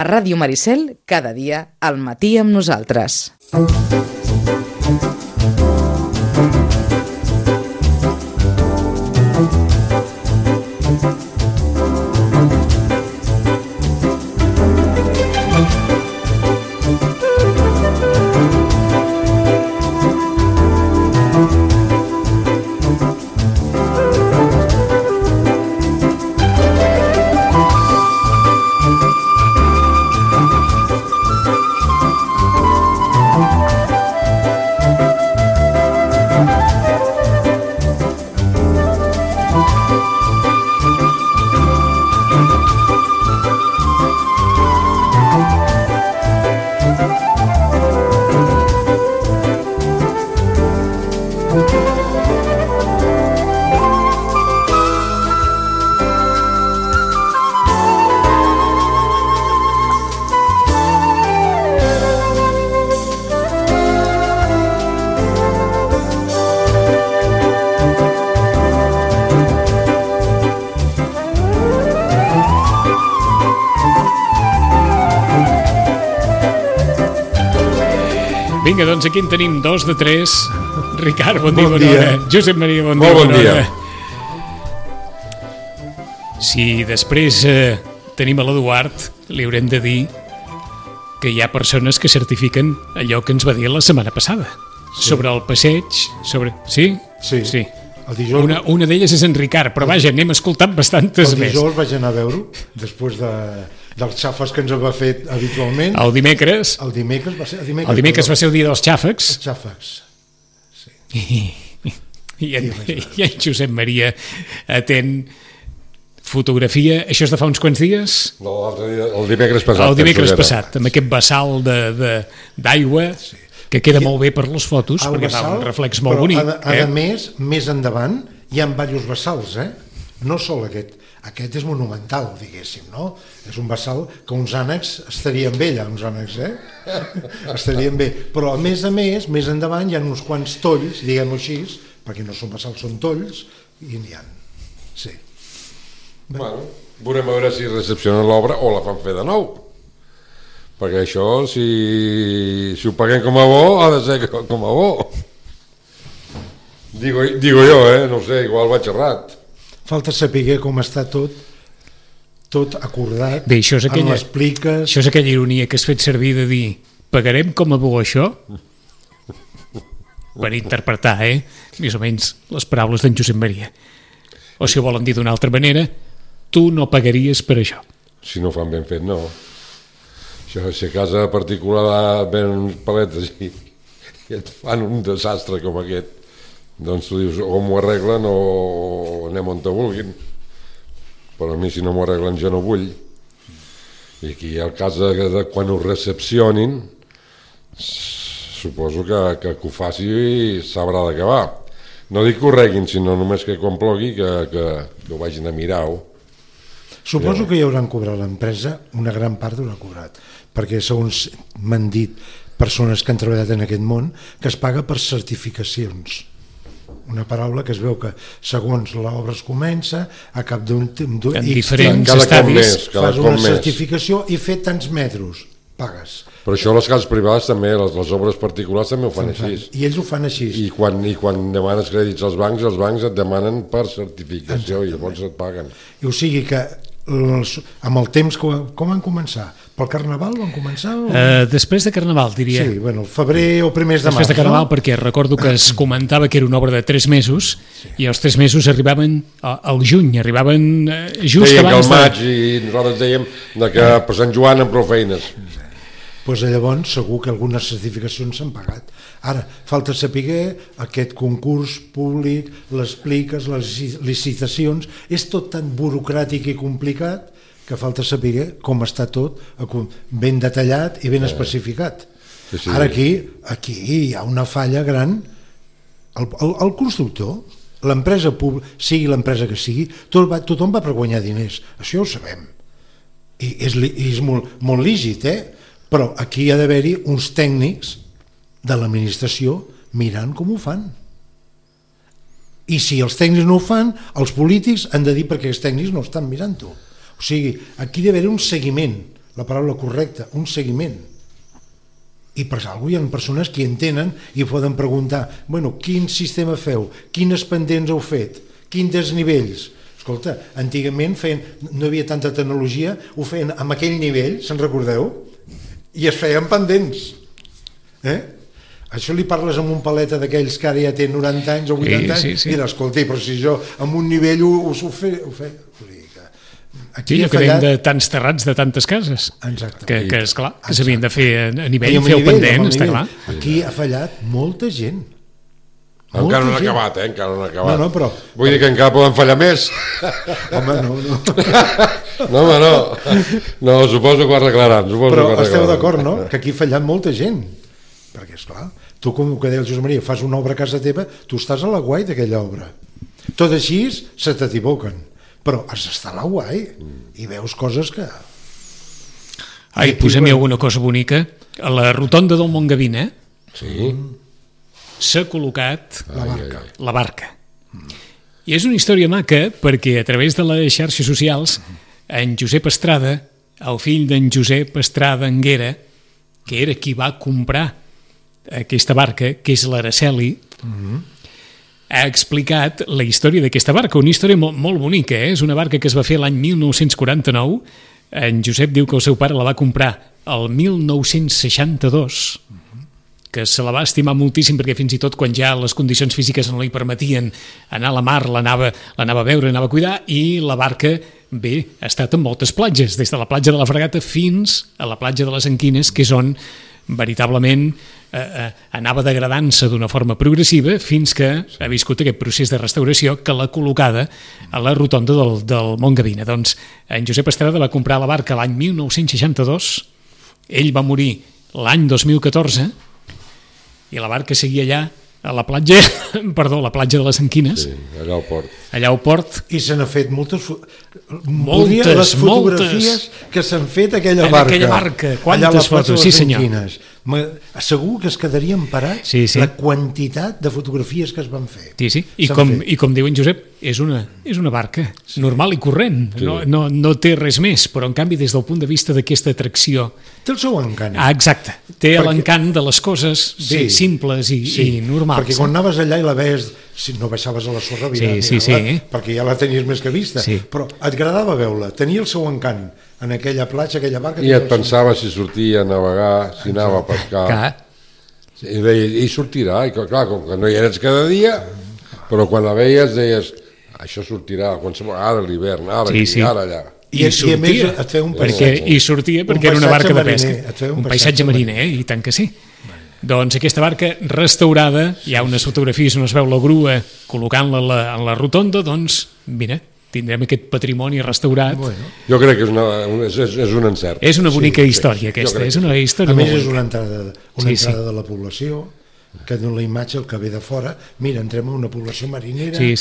A Ràdio Maricel, cada dia al matí amb nosaltres. Vinga, doncs aquí en tenim 2 de 3. Ricard, bon dia, Bon bona dia. hora. Josep Maria, bon dia, Molt bon bona dia. hora. Si després tenim a l'Eduard, li haurem de dir que hi ha persones que certifiquen allò que ens va dir la setmana passada. Sobre el passeig, sobre... Sí? Sí. Sí. El dijous, Una d'elles és en Ricard, però vaja, n'hem escoltat bastantes el més. dijous vaig anar a veure-ho, després dels xàfecs que ens va fer habitualment. El dimecres... El dimecres va ser... El dimecres va ser el dia dels xàfecs. Els xàfecs. I en Josep Maria atén fotografia. Això és de fa uns quants dies? No, l'altre dia, el dimecres passat. El dimecres penso que era. passat, amb aquest vessal d'aigua que queda molt bé per les fotos, El perquè fa vessal, un reflex molt però bonic. A més endavant hi ha diversos vessals, no sol aquest. Aquest és monumental, diguéssim, no? És un vessal que uns ànecs estarien bé allà, uns ànecs, estarien bé. Però a més, més endavant hi ha uns quants tolls, diguem-ho així, perquè no són vessals, són tolls, i n'hi ha. Sí. Bueno, veurem a veure si recepcionen l'obra o la fan fer de nou. Perquè això, si ho paguem com a bo, ha de ser com a bo. Digo jo, no ho sé, igual vaig errat. Falta saber com està tot acordat. Bé, això és amb les pliques. Això és aquella ironia que has fet servir de dir pagarem com a bo això? Per interpretar, més o menys les paraules d'en Josep Maria. O si ho volen dir d'una altra manera, tu no pagaries per això. Si no fan ben fet, no. Això, si a casa particular venen uns paletes i et fan un desastre com aquest, doncs tu dius o m'ho arreglen o anem on te vulguin, però a mi si no m'ho arreglen jo no vull. I aquí el cas de quan ho recepcionin, suposo que ho faci i s'haurà d'acabar. No dic que ho reguin, sinó només que quan plogui que ho vagin a mirar-ho. Suposo que ja hauran cobrat l'empresa, una gran part haurà cobrat, perquè segons m'han dit persones que han treballat en aquest món, que es paga per certificacions. Una paraula que es veu que segons l'obra es comença, a cap d'un en diferents cada cop estadis més, cada fas cop una més. certificació i fer tants metres, pagues. Però això les cases privades també, les obres particulars també ho fan així. I ells ho fan així. I quan demanes crèdits als bancs et demanen per certificació i llavors et paguen. I o sigui que amb el temps com van començar? Pel Carnaval van començar? Després de Carnaval, diria. Sí, bueno, el febrer o primers de març. Després de Carnaval, perquè recordo que es comentava que era una obra de 3 mesos i els 3 mesos arribaven al juny, arribaven just Deien que abans al maig i nosaltres dèiem que per Sant Joan amb prou feines. Doncs llavors segur que algunes certificacions s'han pagat. Ara, falta saber aquest concurs públic, les pliques, les licitacions, és tot tan burocràtic i complicat que falta saber com està tot ben detallat i ben especificat. Sí. Ara aquí hi ha una falla gran. El constructor, l'empresa pública, sigui l'empresa que sigui, tothom va per guanyar diners, això ho sabem. I és molt lícit, però aquí hi ha d'haver-hi uns tècnics de l'administració mirant com ho fan. I si els tècnics no ho fan, els polítics han de dir perquè els tècnics no estan mirant-ho. O sigui, aquí hi ha d'haver un seguiment. la paraula correcta, un seguiment. I per alguna cosa hi ha persones que entenen i poden preguntar, bueno, quin sistema feu? Quines pendents heu fet? Quins desnivells? Escolta, antigament no hi havia tanta tecnologia, ho feien amb aquell nivell, se'n recordeu? I es feien pendents. Això li parles amb un paleta d'aquells que ara ja té 90 anys o 80 anys, i mira, escolta, però si jo amb un nivell ho fe... Sí, allò que dèiem de tants terrats de tantes cases. Exacte. Que esclar, que s'havien de fer a nivell, fer el pendent, està clar. Aquí ha fallat molta gent. Encara no ha acabat, encara no ha acabat. No, però... Vull dir que encara poden fallar més. Home, no. No, home, no. No, suposo que ho arreglaran. Però esteu d'acord, no? Que aquí ha fallat molta gent. Perquè, esclar, tu, com que deia el Josep Maria, fas una obra a casa teva, tu estàs a la guai d'aquella obra. Tot així se t'equivoquen. Però has d'estar a la guai i veus coses que... Ai, posem-hi alguna cosa bonica. A la rotonda del Montgavina s'ha col·locat la barca. I és una història maca perquè a través de les xarxes socials en Josep Estrada, el fill d'en Josep Estrada Anguera, que era qui va comprar aquesta barca, que és l'Araceli, ha explicat la història d'aquesta barca, una història molt bonica, és una barca que es va fer l'any 1949, en Josep diu que el seu pare la va comprar el 1962, que se la va estimar moltíssim perquè fins i tot quan ja les condicions físiques no li permetien anar a la mar, l'anava a veure, anava a cuidar, i la barca, bé, ha estat en moltes platges, des de la platja de la Fragata fins a la platja de les Anquines, que és on veritablement anava degradant-se d'una forma progressiva fins que ha viscut aquest procés de restauració que l'ha col·locada a la rotonda del Montgavina. Doncs en Josep Estrada va comprar la barca l'any 1962, ell va morir l'any 2014 i la barca seguia allà a la platja, la platja de les Anquines, allà al port. Allà al port. I se n'ha fet moltes les fotografies que s'han fet a aquella barca. En aquella barca, quantes fotos, sí senyor. Segur que es quedarien parats la quantitat de fotografies que es van fer. Sí. I com diu en Josep, és una barca normal i corrent, no té res més, però en canvi des del punt de vista d'aquesta atracció... Té el seu encant. Exacte, té l'encant de les coses simples i normals. Perquè quan anaves allà i la veies, si no baixaves a la sorra, perquè ja la tenies més que vista, però et agradava veure-la, tenia el seu encant en aquella platja, aquella barca... I et pensava si sortia a navegar, si anava a pescar... I deia, i sortirà, i clar, com que no hi eres cada dia, però quan la veies deies, això sortirà ara a l'hivern, ara allà. I a més et feia un paisatge. I sortia perquè era una barca de pesca. Un paisatge mariner, i tant que sí. Doncs aquesta barca restaurada, hi ha unes fotografies on es veu la grua col·locant-la en la rotonda, doncs, mira, tindrem aquest patrimoni restaurat. Jo crec que és un encert. És una bonica història aquesta, és una història molt bonica. A més és una entrada de la població, que dona la imatge el que ve de fora. Mira, entrem a una població marinera, I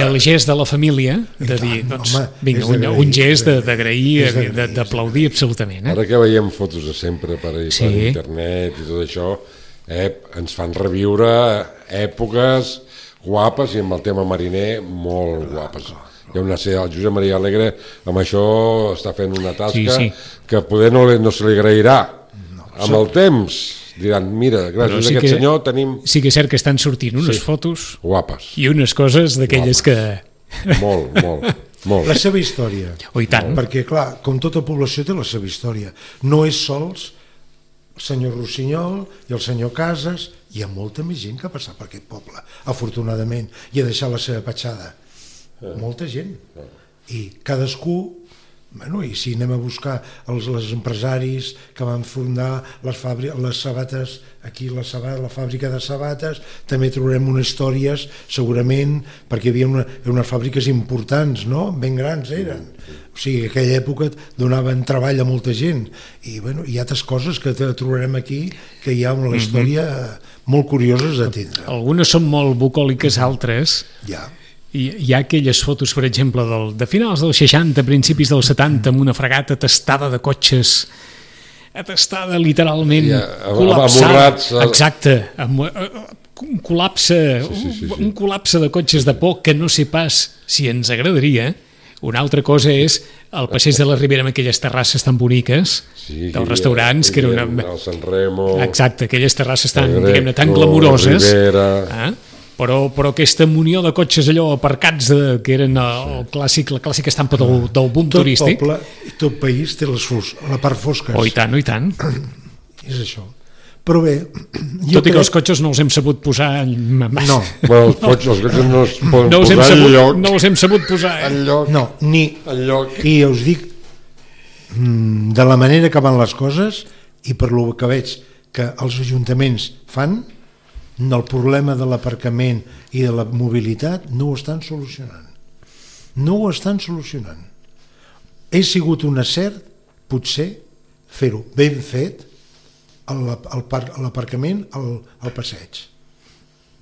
el gest de la família de dir, doncs, vinga, un gest d'agrair, d'aplaudir absolutament. Ara que veiem fotos de sempre per internet i tot això, ens fan reviure èpoques guapes i amb el tema mariner molt guapes. Hi ha el Josep Maria Alegre amb això està fent una tasca que poder no se li agrairà amb el temps. Diran, mira, gràcies a aquest senyor tenim... Sí que és cert que estan sortint unes fotos guapes i unes coses d'aquelles que... Molt. La seva història. I tant. Perquè, clar, com tota població té la seva història. No és sols el senyor Rossinyol i el senyor Casas, hi ha molta més gent que ha passat per aquest poble, afortunadament, i ha deixat la seva petjada. Molta gent. I cadascú... I si anem a buscar els empresaris que van fundar les sabates, aquí la fàbrica de sabates, també trobarem unes històries, segurament, perquè hi havia unes fàbriques importants, no? Ben grans eren. O sigui, en aquella època donaven treball a molta gent. I hi ha altres coses que trobarem aquí, que hi ha una història molt curioses d'atendre. Algunes són molt bucòliques, altres... Hi ha aquelles fotos, per exemple, de finals dels 60, principis dels 70, amb una fragata atestada de cotxes, atestada literalment, col·lapsada. Exacte, un col·lapse de cotxes de por que no sé pas si ens agradaria. Una altra cosa és al passeig de la Ribera amb aquelles terrasses tan boniques dels restaurants, que era una... El San Remo... Exacte, aquelles terrasses tan, diguem-ne, tan glamuroses. Però aquesta munió de cotxes allò aparcats que eren la clàssica estampa del boom turístic. Tot poble, tot país té la part fosca. Oh, i tant, i tant. És això. Però bé... Tot i que els cotxes no els hem sabut posar... No. Bueno, els cotxes no es poden posar enlloc. No els hem sabut posar. Enlloc. No, ni... Enlloc. I us dic, de la manera que van les coses, i per lo que veig que els ajuntaments fan, el problema de l'aparcament i de la mobilitat no ho estan solucionant. No ho estan solucionant. He sigut un acert, potser, fer-ho ben fet, l'aparcament al passeig.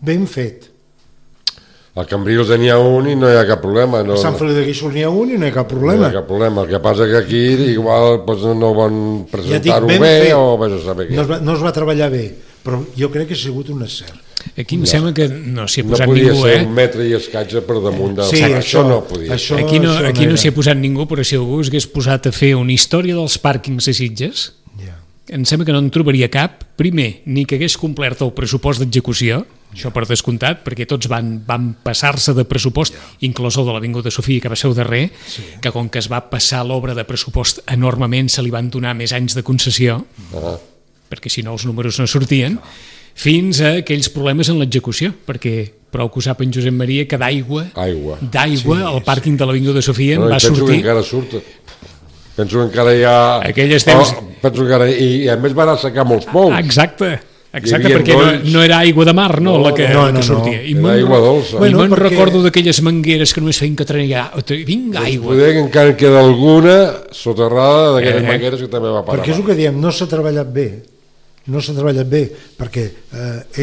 Ben fet. A Cambrils n'hi ha un i no hi ha cap problema. A Sant Feliu de Guíxols n'hi ha un i no hi ha cap problema. No hi ha cap problema. El que passa que aquí igual no van presentar-ho bé o vés a saber què. No es va treballar bé, però jo crec que ha sigut un acert. Aquí em sembla que no s'hi ha posat ningú. No podia ser un metre i escatge per damunt del... Sí, això no podia. Aquí no s'hi ha posat ningú, però si algú s'hagués posat a fer una història dels pàrquings a Sitges, em sembla que no en trobaria cap, primer, ni que hagués complert el pressupost d'execució, això per descomptat, perquè tots van passar-se de pressupost, inclòs el de l'Avinguda Sofia, que va ser el darrer, que com que es va passar l'obra de pressupost enormement, se li van donar més anys de concessió, perquè si no els números no sortien, fins a aquells problemes en l'execució, perquè prou que ho sap en Josep Maria, que d'aigua al pàrquing de l'Avinguda Sofia va sortir... Penso que encara surt... Penso que encara hi ha... Penso que i a més van assecar molts pous. Exacte, perquè no era aigua de mar, no, la que sortia. Era aigua dolça. I me'n recordo d'aquelles mangueres que només feien que treia vinga aigua. Poder que encara queda alguna soterrada d'aquelles mangueres que també va parar. Perquè és el que diem, no s'ha treballat bé. No s'ha treballat bé, perquè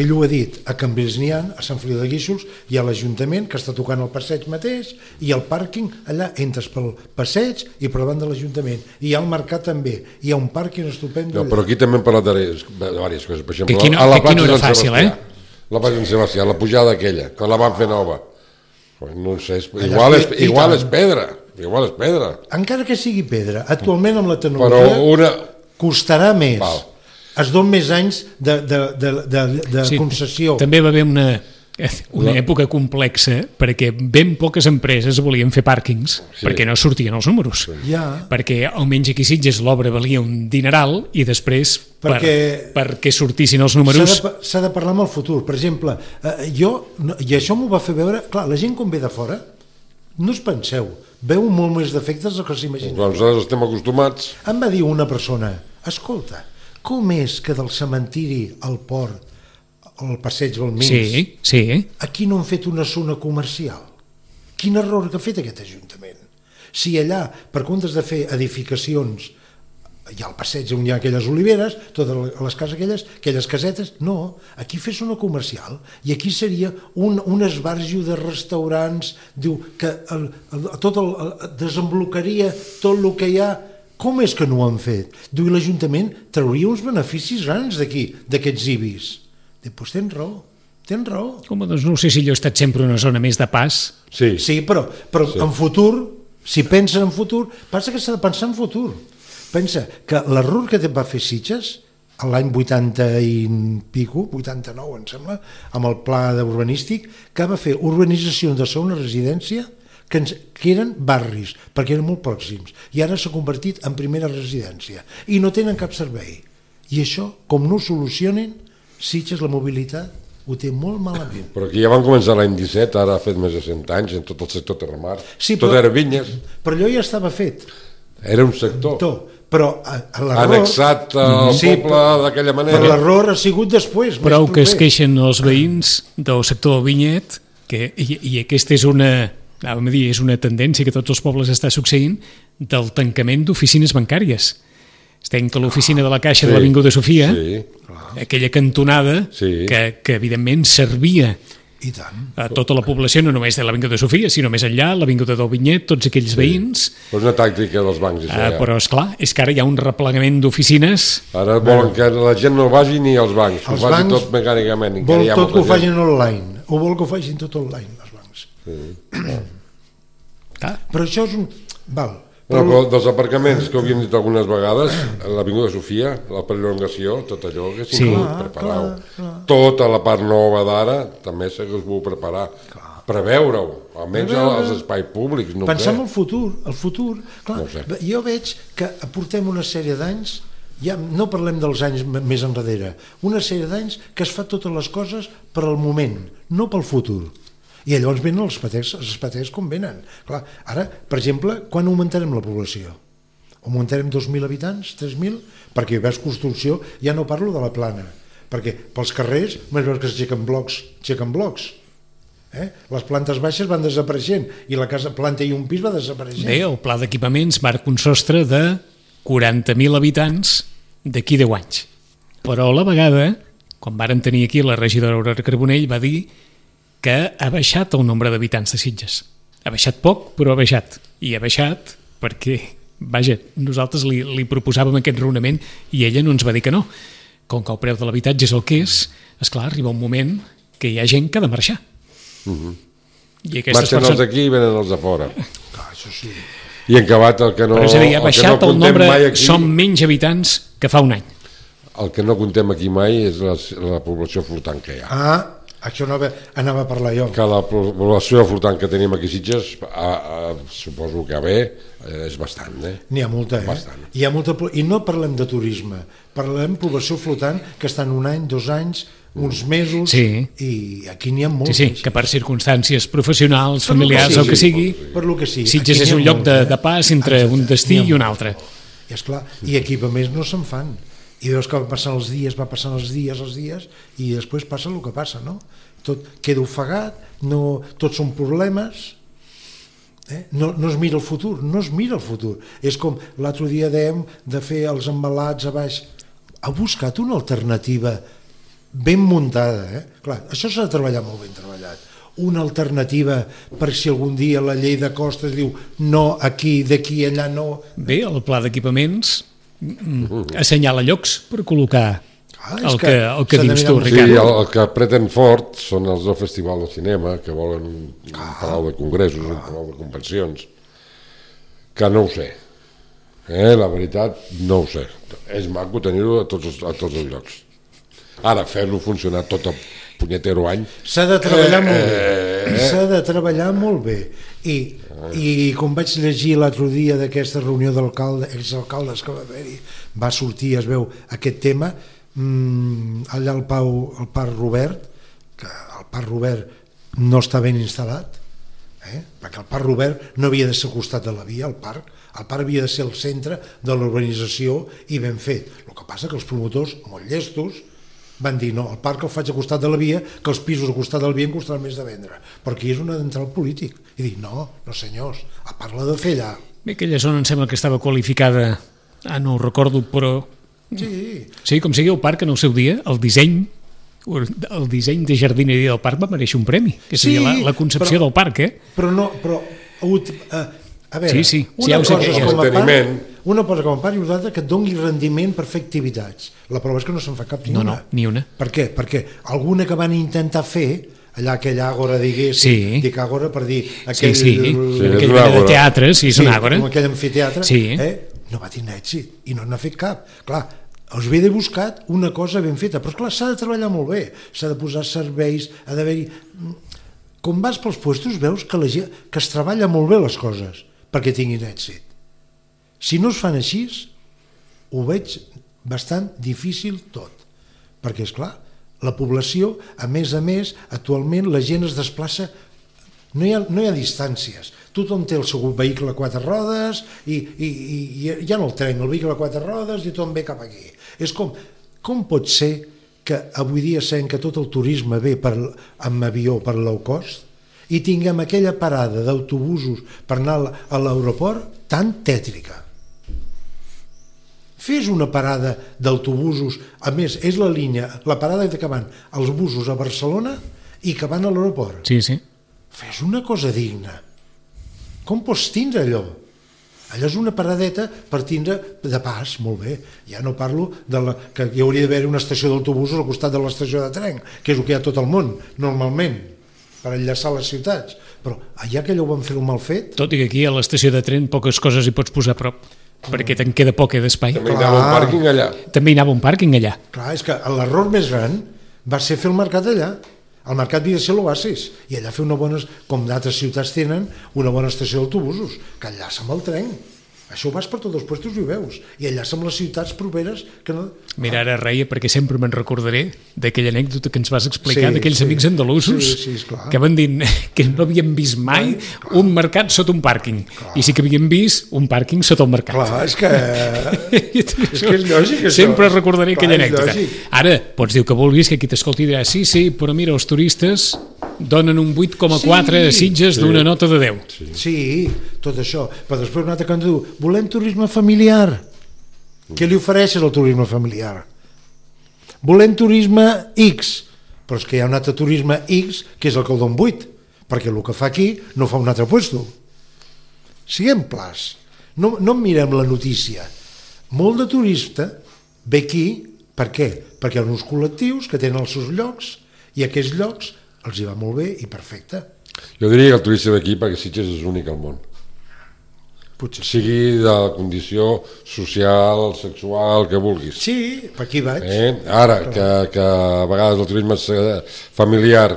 ell ho ha dit, a Cambrils n'hi ha, a Sant Feliu de Guíxols, hi ha l'Ajuntament que està tocant el passeig mateix, i el pàrquing, allà entres pel passeig i per davant de l'Ajuntament. I hi ha el mercat també, hi ha un pàrquing estupend. No, però aquí també hem parlat de diverses coses. Per exemple, aquí no era fàcil, la plaça Sant Sebastià, la pujada aquella, que la van fer nova. No sé, igual és pedra. Encara que sigui pedra, actualment amb la tecnologia costarà més. Es donen més anys de concessió. També va haver una època complexa perquè ben poques empreses volien fer pàrquings perquè no sortien els números. Perquè almenys aquí a Sitges l'obra valia un dineral i després perquè sortissin els números... S'ha de parlar amb el futur. Per exemple, i això m'ho va fer veure... Clar, la gent quan ve de fora, no us penseu, veu molt més defectes del que s'imagina. Nosaltres estem acostumats. Em va dir una persona, escolta, com és que del cementiri al port, al passeig Balmins, aquí no han fet una zona comercial? Quin error que ha fet aquest Ajuntament? Si allà, per comptes de fer edificacions, hi ha el passeig on hi ha aquelles oliveres, totes les cases aquelles casetes, no, aquí fes una comercial, i aquí seria un esbarjo de restaurants, diu que desemblocaria tot el que hi ha. Com és que no ho han fet? Diu, l'Ajuntament trauria uns beneficis grans d'aquí, d'aquests IBIs. Diu, doncs tens raó. Home, doncs no sé si allò ha estat sempre una zona més de pas. Sí, però en futur, si pensen en futur, passa que s'ha de pensar en futur. Pensa que l'error que va fer Sitges, l'any 80 i pico, 89 em sembla, amb el pla urbanístic, que va fer urbanització de segona residència, que eren barris, perquè eren molt pròxims, i ara s'ha convertit en primera residència, i no tenen cap servei. I això, com no ho solucionen, Sitges, la mobilitat, ho té molt malament. Però aquí ja van començar l'any 17, ara ha fet més de 100 anys, en tot el sector terramar. Tot era vinyes. Però allò ja estava fet. Era un sector. Però annexat al poble d'aquella manera. Però l'error ha sigut després. Prou que es queixen els veïns del sector del vinyet, i aquesta és una tendència que tots els pobles està succeint, del tancament d'oficines bancàries. Estem que l'oficina de la Caixa de l'Avinguda Sofia, aquella cantonada que evidentment servia a tota la població, no només de l'Avinguda Sofia, sinó més enllà, l'Avinguda del Vinyet, tots aquells veïns. És una tàctica dels bancs. Però esclar, és que ara hi ha un replegament d'oficines. Ara volen que la gent no vagi ni als bancs, ho faci tot mecànicament. Vol tot que ho facin online, o vol que ho facin tot online, els bancs. Però això és un... Però dels aparcaments que ho havíem dit algunes vegades, l'Avinguda Sofia, la perllongació, tot allò que s'hi preparar. Tota la part nova d'ara també s'hagués pogut preparar. Preveure-ho, almenys als espais públics. Pensar en el futur. Clar, No sé. jo veig que portem una sèrie d'anys, ja no parlem dels anys més enrere, una sèrie d'anys que es fa totes les coses per al moment, no pel futur. I llavors venen els patès com venen. Clar, ara, per exemple, quan augmentarem la població? Augmentarem 2.000 habitants, 3.000? Perquè hi veus construcció, ja no parlo de la plana, perquè pels carrers més veus que s'aixequen blocs. Les plantes baixes van desapareixent i la casa planta i un pis va desapareixent. Bé, el pla d'equipaments marca un sostre de 40.000 habitants d'aquí 10 anys. Però a la vegada, quan varen tenir aquí la regidora Aurora Carbonell, va dir que ha baixat el nombre d'habitants de Sitges. Ha baixat poc, però ha baixat. I ha baixat perquè, vaja, nosaltres li proposàvem aquest raonament i ella no ens va dir que no. Com que el preu de l'habitatge és el que és, esclar, arriba un moment que hi ha gent que ha de marxar. I marxen els d'aquí i venen els de fora. Això sí. I en acabat el que no... Però és a dir, ha baixat el nombre, aquí, són menys habitants que fa un any. El que no contem aquí mai és la població flotant que hi ha. Això anava a parlar jo. Que la població flotant que tenim aquí a Sitges, suposo que és bastant, N'hi ha molta, Bastant. Hi ha molta, i no parlem de turisme, parlem de població flotant que estan un any, 2 anys, uns mesos, i aquí n'hi ha molts. Sí, que per circumstàncies professionals, familiars, o que sigui, per lo que sigui. Sitges és un lloc de pas entre un destí i un altre. I esclar, i equipaments no se'n fan. I veus que va passant els dies, i després passa el que passa, no? Tot queda ofegat, tots són problemes, no es mira el futur, És com l'altre dia dèiem de fer els embalats a baix. Ha buscat una alternativa ben muntada, Clar, això s'ha de treballar molt ben treballat. Una alternativa per si algun dia la llei de costes diu no, aquí, d'aquí, allà no. Bé, el pla d'equipaments assenyala llocs per col·locar el que dius tu, Ricard. Sí, el que apreten fort són els del Festival de Cinema, que volen un palau de congressos, un palau de convencions, que no ho sé. La veritat, no ho sé. És maco tenir-ho a tots els llocs. Ara, fer-lo funcionar tot el punyetero any... S'ha de treballar molt bé. S'ha de treballar molt bé. I com vaig llegir l'altre dia d'aquesta reunió exalcaldes que va haver-hi, va sortir, es veu, aquest tema, allà al Parc Robert, que el Parc Robert no està ben instal·lat, perquè el Parc Robert no havia de ser al costat de la via, el parc havia de ser el centre de l'urbanització i ben fet. El que passa que els promotors, molt llestos, van dir no, el parc el faig al costat de la via, que els pisos al costat de la via em costaran més de vendre, perquè és un adentral polític. I dic, no senyors, a part l'ha de fer allà. Bé, aquella zona em sembla que estava qualificada, no ho recordo, però... Sí, com sigui el parc en el seu dia, el disseny de jardineria del parc va mereixer un premi, que seria la concepció del parc, a veure, una cosa com a part i una altra que et doni rendiment per fer activitats. La prova és que no se'n fa cap ni una. Ni una. Per què? Perquè alguna que van intentar fer, allà aquella àgora, diguéssim, dic àgora per dir... aquell mena de teatre, és un àgora. Com aquell amfiteatre, no va tenir èxit i no n'ha fet cap. Clar, us havia de buscar una cosa ben feta, però clar, s'ha de treballar molt bé, s'ha de posar serveis, ha d'haver-hi... Com vas pels puestos veus que es treballa molt bé les coses perquè tinguin èxit. Si no es fan així, ho veig bastant difícil tot, perquè, esclar, la població, a més, actualment la gent es desplaça, no hi ha distàncies, tothom té el seu vehicle a 4 rodes i ja no el tren, el vehicle a 4 rodes i tothom ve cap aquí. És com pot ser que avui dia sabem que tot el turisme ve amb avió per low cost i tinguem aquella parada d'autobusos per anar a l'aeroport tan tètrica. Fes una parada d'autobusos, a més, és la parada que van els busos a Barcelona i que van a l'aeroport. Sí. Fes una cosa digna. Com pots tindre allò? Allò és una paradeta per tindre de pas, molt bé. Ja no parlo que hi hauria d'haver una estació d'autobusos al costat de l'estació de tren, que és el que hi ha a tot el món, normalment, per enllaçar les ciutats. Però allà que allò ho van fer un mal fet... Tot i que aquí a l'estació de tren poques coses hi pots posar a prop, perquè te'n queda poc d'espai. També hi anava un pàrquing allà. També hi anava un pàrquing allà. Clar, és que l'error més gran va ser fer el mercat allà. El mercat havia de ser l'oasis, i allà fer una bona, com d'altres ciutats tenen, una bona estació d'autobusos, que enllaça amb el tren. Això ho vas per tots els puestos i ho veus. I enllaça amb les ciutats properes que no... Mira, ara reia perquè sempre me'n recordaré d'aquella anècdota que ens vas explicar d'aquells amics andalusos que van dir que no havien vist mai un mercat sota un pàrquing. I sí que havien vist un pàrquing sota el mercat. Clar, és que és lògic, això. Sempre recordaré aquella anècdota. Ara, pots dir que vulguis, que qui t'escolti dirà sí, però mira, els turistes donen un 8,4 a Sitges d'una nota de 10. Sí, tot això. Però després un altre que ens diu, volem turisme familiar. Què li ofereixes al turisme familiar? Volem turisme X. Però és que hi ha un altre turisme X que és el que el don 8, perquè el que fa aquí no fa un altre puesto. Siguem clars. No mirem la notícia. Molt de turista ve aquí, per què? Perquè hi ha uns col·lectius que tenen els seus llocs i aquests llocs els hi va molt bé i perfecte. Jo diria que el turista ve aquí perquè Sitges és únic al món. Potser sí. Sigui de la condició social, sexual, que vulguis. Sí, per aquí vaig. Ara, que a vegades el turisme familiar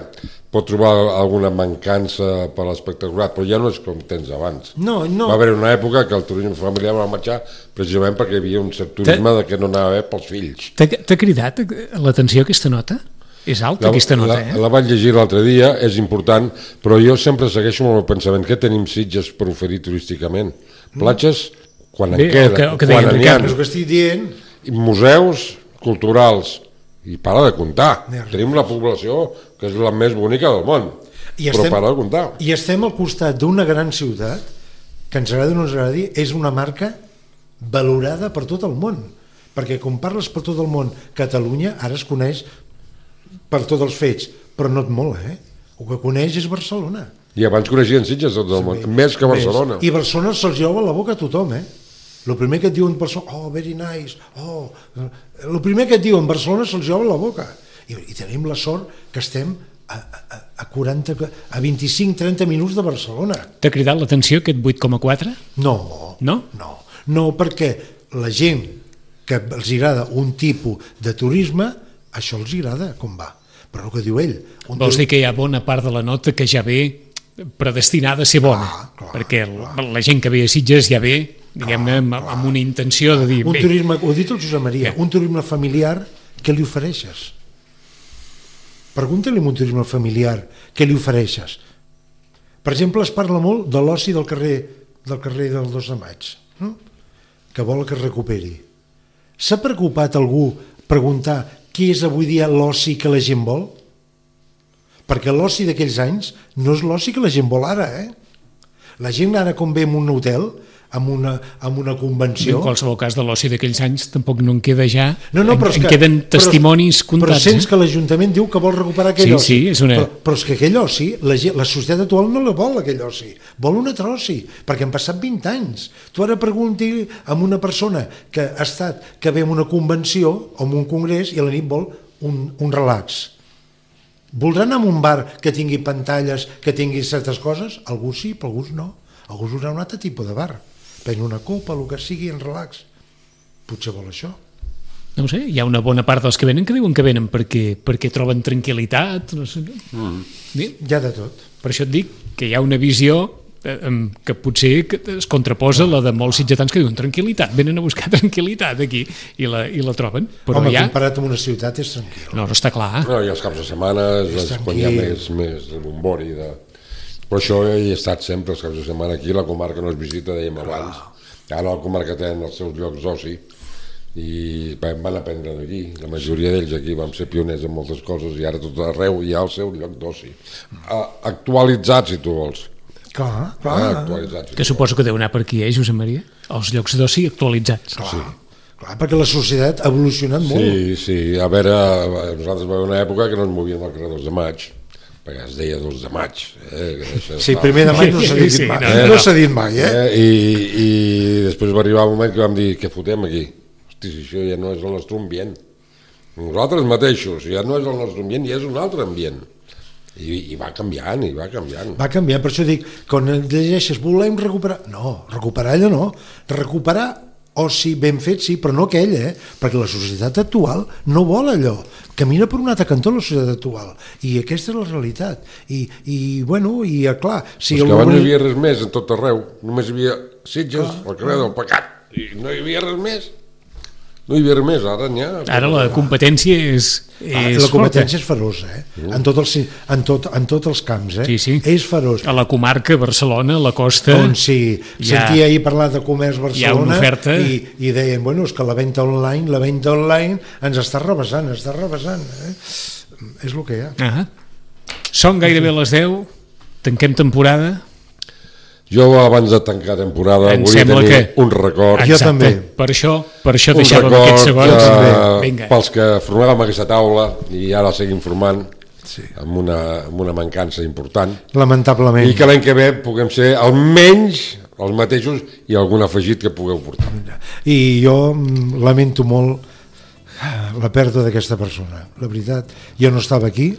pot trobar alguna mancança per l'espectacular, però ja no és com tens abans. No. Va haver una època que el turisme familiar va marxar precisament perquè hi havia un cert turisme que no anava bé pels fills. T'ha cridat l'atenció aquesta nota? És alta aquesta nota, La vaig llegir l'altre dia, és important, però jo sempre segueixo amb el pensament que tenim Sitges per oferir turísticament. Platges, quan en queda, quan n'hi ha. És que estic dient. Museus culturals, i para de comptar. Tenim la població que és la més bonica del món, però para de comptar. I estem al costat d'una gran ciutat que ens agradi o no ens agradi, és una marca valorada per tot el món, perquè quan parles per tot el món, Catalunya ara es coneix per tots els fets, però no et mola, El que coneix és Barcelona. I abans coneixien Sitges tot el món, més que Barcelona. I Barcelona se'ls lleva a la boca a tothom, El primer que et diuen Barcelona, very nice, el primer que et diuen Barcelona se'ls lleva a la boca. I tenim la sort que estem a 25-30 minuts de Barcelona. T'ha cridat l'atenció aquest 8,4? No, perquè la gent que els agrada un tipus de turisme, això els agrada com va, però el que diu ell... Vols dir que hi ha bona part de la nota que ja ve predestinada a ser bona, perquè la gent que ve a Sitges ja ve, diguem-ne, amb una intenció de dir... Un turisme, ho ha dit el Josep Maria, un turisme familiar, què li ofereixes? Pregunta-li un turisme familiar, què li ofereixes? Per exemple, es parla molt de l'oci del carrer del 2 de maig, no? Que vol que es recuperi. S'ha preocupat algú preguntar què és avui dia l'oci que la gent vol? Perquè l'oci d'aquells anys no és l'oci que la gent vol ara, La gent ara com ve en un hotel, amb una convenció... En qualsevol cas de l'oci d'aquells anys tampoc no en queda ja, en queden testimonis comptats. Però sents que l'Ajuntament diu que vol recuperar aquell oci. Sí, és una... Però és que aquell oci, la societat actual no la vol, aquell oci. Vol un altre oci, perquè han passat 20 anys. Tu ara pregunti a una persona que ha estat, que ve a una convenció o a un congrés i a la nit vol un relax. Voldrà anar a un bar que tingui pantalles, que tingui certes coses? Algú sí, però alguns no. Alguns voldrà un altre tipus de bar. Prendre una copa, el que sigui, en relax. Potser vol això. No ho sé, hi ha una bona part dels que venen que diuen que venen perquè troben tranquil·litat, no sé. Hi ha de tot. Per això et dic que hi ha una visió que potser es contraposa la de molts sitgetans que diuen tranquil·litat, venen a buscar tranquil·litat aquí i la troben. Però home, comparat amb una ciutat és tranquil. No està clar. No, i els caps de setmana quan hi ha més bombori però això hi he estat sempre els caps de setmana aquí, la comarca no es visita, dèiem abans. Ara la comarca tenen els seus llocs d'oci i van aprendre d'aquí, la majoria d'ells aquí vam ser pioners en moltes coses i ara tot arreu hi ha el seu lloc d'oci actualitzat, si tu vols. Clar. Que suposo que deu anar per aquí, Josep Maria? Els llocs d'oci actualitzats. Clar, perquè la societat ha evolucionat molt. Sí, a veure, nosaltres va haver una època que no ens movíem al carrer 2 de maig, perquè es deia 2 de maig. Sí, primer de maig no s'ha dit mai. No s'ha dit mai, I després va arribar un moment que vam dir, què fotem aquí? Hosti, si això ja no és el nostre ambient. Nosaltres mateixos, ja no és el nostre ambient, ja és un altre ambient. I va canviant, i va canviant. Va canviar, per això dic, quan llegeixes volem recuperar, no, recuperar allò no, recuperar oci ben fet sí, però no aquell, perquè la societat actual no vol allò, camina per un altre cantó la societat actual, i aquesta és la realitat, i bueno, i clar, si que abans no hi havia res més en tot arreu, només hi havia Sitges, el carrer del Pecat, i no hi havia res més. No hi havia res més, ara n'hi ha. Ara la competència és la competència és feroç, en tots els camps, Sí. És feroç. A la comarca, Barcelona, la costa... On sí, sentia ahir parlar de comerç Barcelona, hi ha una oferta... i deien, bueno, és que la venda online ens està rebassant, És el que hi ha. Són gairebé les 10, tanquem temporada... Jo abans de tancar temporada volia tenir un record. Jo també. Per això deixàvem aquests segons. Pels que formàvem aquesta taula i ara seguim formant amb una mancança important. Lamentablement. I que l'any que ve puguem ser almenys els mateixos i algun afegit que pugueu portar. I jo lamento molt la pèrdua d'aquesta persona, la veritat. Jo no estava aquí,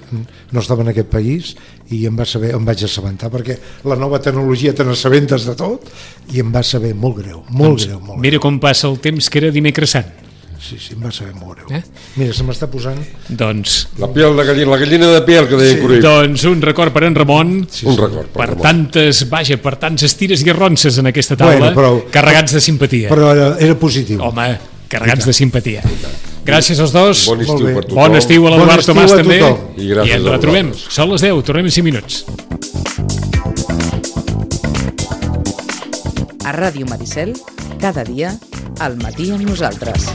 no estava en aquest país i em vaig assabentar perquè la nova tecnologia te n'assabentes de tot i em va saber molt greu, molt greu. Mira com passa el temps, que era dimecres sant. Sí, em va saber molt greu. Mira, se m'està posant... Doncs... La gallina de piel, que deia Cruyff. Doncs un record per en Ramon. Un record per Ramon. Per tantes tires i arronses en aquesta taula, carregats de simpatia. Però era positiu. Home, carregats de simpatia. Gràcies als dos. Bon estiu per tothom. Bon estiu a l'Eduard Tomàs també. I ens retrobem. Són les 10, tornem en 5 minuts. A Ràdio Maricel, cada dia, al matí amb nosaltres.